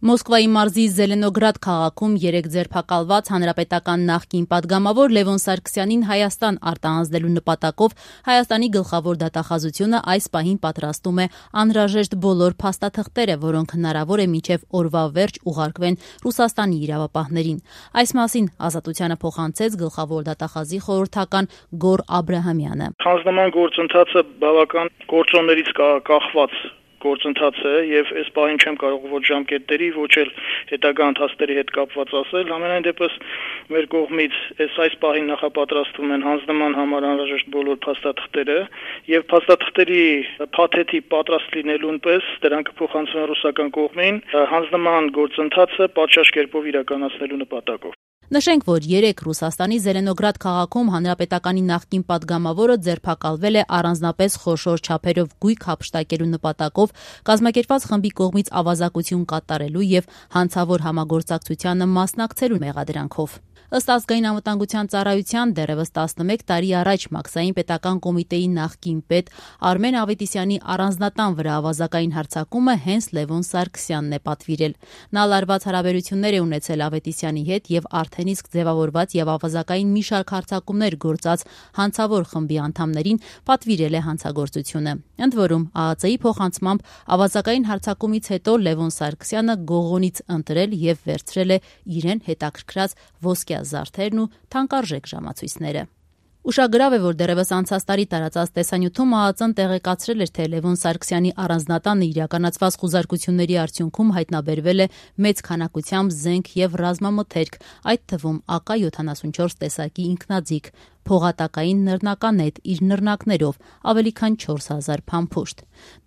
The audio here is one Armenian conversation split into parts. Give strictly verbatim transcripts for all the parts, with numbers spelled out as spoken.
Մոսկվայի մարզի Զելենոգրադ քաղաքում երեկ ձերբակալված հանրապետական նախկին պատգամավոր Լևոն Սարգսյանին Հայաստան արտահանձնելու նպատակով Հայաստանի գլխավոր դատախազությունը այս պահին պատրաստում է անհրաժեշտ բոլոր փաստաթղթերը, որոնք հնարավոր է մինչև օրվա վերջ ուղարկվեն Ռուսաստանի իրավապահներին։ Այս մասին Ազատությանը փոխանցեց գլխավոր դատախազի խորհրդական Գոր Աբրահամյանը։ Հանձնման գործընթացը բավական գործոններից կախված գործընթաց է եւ այս պահին չեմ կարող ոչ ժամկետների, ոչ էլ հետագա ընթացների հետ կապված ասել։ Համենայն դեպս մեր կողմից այս այս պահին նախապատրաստվում են հանձնման համար անհրաժեշտ բոլոր փաստաթղթերը եւ փաստաթղթերի փաթեթի պատրաստ լինելուն պես դրանք կփոխանցվեն ռուսական կողմին հանձնման գործընթացը պատշաճ կերպով իրականացնելու նպատակով։ Նշենք, որ երեկ Ռուսաստանի Զելենոգրադ քաղաքում հանրապետականի նախկին պատգամավորը ձերբակալվել է առանձնապես խոշոր չափերով գույք հափշտակելու նպատակով կազմակերպված խմբի կողմից ավազակություն կատարելու եւ հանցավոր համագործակցությանը մասնակցելու մեղադրանքով։ Ըստ Ազգային անվտանգության ծառայության դեռևս տասնմեկ տարի առաջ Մաքսային պետական կոմիտեի նախկին պետ Արմեն Ավետիսյանի առանձնատան վրա ավազակային հարձակումը հենց Լևոն Սարգսյանն է պատվիրել։ Նա լարված հարաբերություններ է ունեցել Ավետիսյանի հետ եւ արդեն իսկ ձևավորված եւ ավազակային մի շարք հարձակումներ գործած հանցավոր խմբի անդամներին պատվիրել է հանցագործությունը։ Ընդ որում ԱԱԾ-ի փոխանցմամբ ավազակային հարձակումից հետո Լևոն Սարգսյանը գողոնից ընտրել եւ վերցրել է իրեն հետաքրքրած ոսկյա զարդերն ու թանկարժեք ժամացույցները։ Ուշագրավ է, որ դեռևս անցած տարի տարածած տեսանյութում ԱԱԾ-ն տեղեկացրել էր, թե Լևոն Սարգսյանի առանձնատանը իրականացված խուզարկությունների արդյունքում հայտնաբերվել է մեծ քանակությամբ զենք եւ ռազմամթերք, այդ թվում ԱԿ յոթանասունչորս տեսակի ինքնաձիգ, փողատակային նռնականետ իր նռնակներով, ավելի քան չորս հազար փամփուշտ։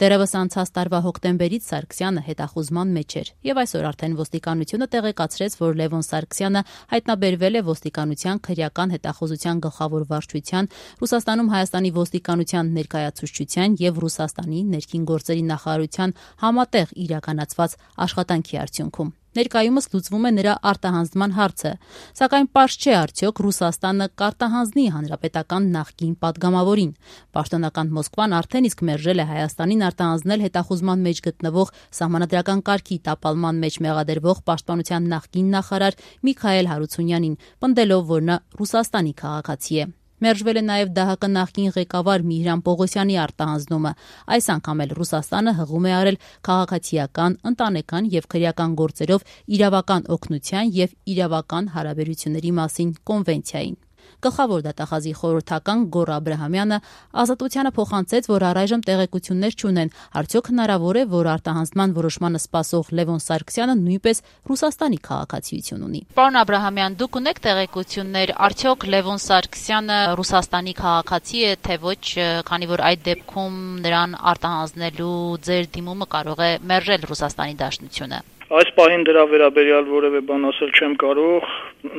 Դեռևս անցած տարվա հոկտեմբերից Սարգսյանը հետախուզման մեջ էր եւ այսօր արդեն ոստիկանությունը տեղեկացրեց, որ Լևոն Սարգսյանը հայտնաբերվել է ոստիկանության քրեական հետախուզության գլխավոր վարչության, Ռուսաստանում Հայաստանի ոստիկանության ներկայացուցչության եւ Ռուսաստանի ներքին գործերի նախարարության համատեղ իրականացված աշխատանքի արդյունքում։ Ներկայումս լուծվում է նրա արտահանձնման հարցը, սակայն պարզ չէ արդյոք Ռուսաստանը կարտահանձնի հանրապետական նախկին պատգամավորին։ Պաշտոնական Մոսկվան արդեն իսկ մերժել է Հայաստանին արտահանձնել հետախուզման մեջ գտնվող սահմանադրական կարգի տապալման մեջ մեղադրվող պաշտպանության նախկին նախարար Միքայել Հարությունյանին, պնդելով, որ նա Ռուսաստանի քաղաքացի է։ Մերժվել է նաև ԴՀԿ նախկին ղեկավար Միհրան Պողոսյանի արտահանձնումը։ Այս անգամ էլ Ռուսաստանը հղում է արել քաղաքացիական, ընտանեկան եւ քրեական գործերով իրավական օգնության եւ իրավական հարաբերությունների մասին կոնվենցիային։ Գլխավոր դատախազի խորհրդական Գոր Աբրահամյանը Ազատությանը փոխանցեց, որ առայժմ տեղեկություններ չունեն, արդյոք հնարավոր է, որ արտահանձնման որոշմանը սպասող Լևոն Սարգսյանը նույնպես Ռուսաստանի քաղաքացիություն ունի։ Պարոն Աբրահամյան, դուք ունեք տեղեկություններ, արդյոք Լևոն Սարգսյանը Ռուսաստանի քաղաքացի է, թե ոչ, քանի որ այդ դեպքում նրան արտահանձնելու ձեր դիմումը կարող է մերժել Ռուսաստանի Դաշնությունը։ Այս պահին դրա վերաբերյալ որևէ բան ասել չեմ կարող,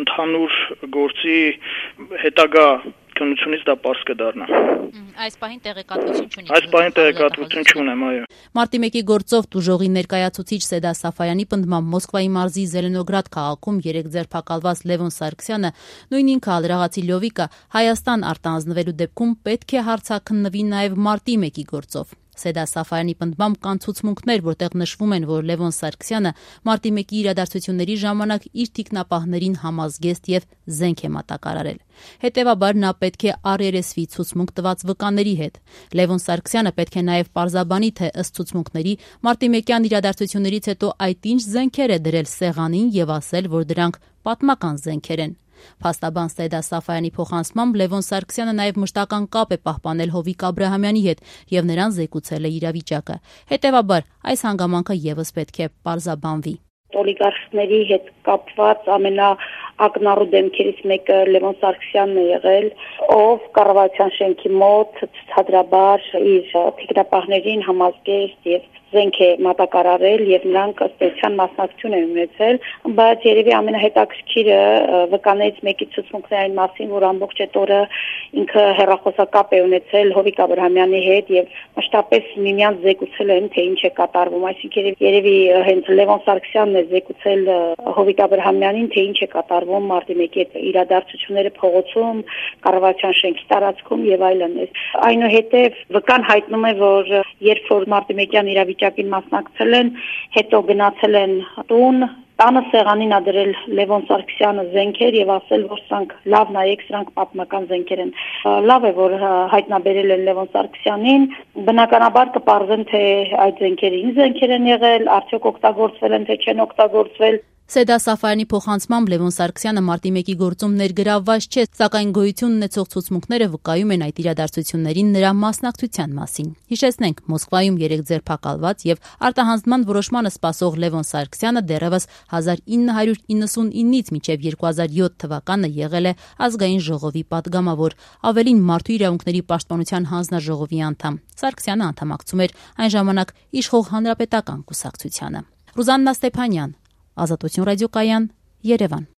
ընդհանուր գործի հետագա քննությունից դա պարզ կդառնա։ Այս պահին տեղեկատվություն չունի։ Այս պահին տեղեկատվություն չունեմ, այո։ Մարտի մեկի գործով տուժողի ներկայացուցիչ Սեդա Սաֆայանի պնդմամբ Մոսկվայի մարզի Զելենոգրադ քաղաքում երեկ ձերբակալված Լևոն Սարգսյանը, նույն ինքը ալրաղացի Լյովիկը, Հայաստան արտահանձնվելու դեպքում պետք է հարցաքննվի նաև Մարտի մեկի գործով։ Սեդա Սաֆայանի պնդմամբ կան ցուցմունքներ, որտեղ նշվում են, որ Լևոն Սարգսյանը Մարտի մեկի իրադարձությունների ժամանակ իր թիկնապահներին համազգեստ եւ զենք է մատակարարել։ Հետևաբար նա պետք է առերեսվի ցուցմունք տված վկաների հետ։ Լևոն Սարգսյանը պետք է նաև պարզաբանի, թե ըստ ցուցմունքների Մարտի մեկյան իրադարձություններից հետո այդ ինչ զենքեր է դրել սեղանին եւ ասել, որ դրանք պատմական զենքեր են։ Փաստաբան Սեդա Սաֆայանի փոխանցմամբ Լևոն Սարգսյանը նաև մշտական կապ է պահպանել Հովիկ Աբրահամյանի հետ եւ նրան զեկուցել է իրավիճակը։ Հետևաբար այս հանգամանքը եւս պետք է պարզաբանվի։ Օլիգարխների հետ կապված ամենաակնառու դեմքերից մեկը Լևոն Սարգսյանն է եղել, ով կառավարության շենքի մոտ ցածրաբար իր թիկնապահներին համազգեստ եւ զենք է մատակարարել եւ նրանք ըստ էության մասնակցություն են ունեցել, բայց երևի ամենահետաքրքիրը վկաներից մեկի ցուցմունքն այն մասին, որ ամբողջ այդ օրը ինքը հեռախոսակապ է ունեցել Հովիկ Աբրահամյանի հետ եւ մշտապես միմյանց զեկուցել են, թե ինչ է կատարվում, այսինքն երևի հենց Լևոն Սարգսյանն է զեկուցել Հովիկ Աբրահամյանին, թե ինչ է կատարվում Մարտի մեկի այդ իրադարձությունները փողոցում, կառավարության շենքի տարածքում եւ այլն։ Այնուհետեւ վկան հայտնում է, որ երբ որ Մարտի մեկյան իրավիճակը դասավիճակին մասնակցել են, հետո գնացել են տուն, տանը սեղանին ա դրել Լևոն Սարգսյանը զենքեր եւ ասել, որ սրանք լավ նայեք, սրանք պատմական զենքեր են։ Լավ է, որ հայտնաբերել են Լևոն Սարգսյանին, բնականաբար կպարզեն, թե այդ զենքերը ինչ զենքեր են եղել, արդյոք օգտագործվել են, թե չեն օգտագործվել։ Սեդա Սաֆարյանի փոխանցմամբ Լևոն Սարգսյանը մարտի մեկի գործում ներգրավված չէ, սակայն գոյություն ունեցող ցուցմունքները վկայում են այդ իրադարձություններին նրա մասնակցության մասին։ Հիշեցնենք, Մոսկվայում երեք ձերբակալված եւ արտահանձնման որոշմանը սպասող Լևոն Սարգսյանը դեռևս հազար ինը հարյուր իննսունինից մինչեւ երկու հազար յոթ թվականը եղել է ազգային ժողովի падգամավոր, ավելին մարդու իրավունքների պաշտպանության հանձնաժողովի անդամ։ Սարգսյանը անդամակցում էր այն ժամանակ իշխող հանրապետական կուսակցությանը։ Ռուզաննա Ստեփանյան, Ազատություն ռադիոկայան, Երևան։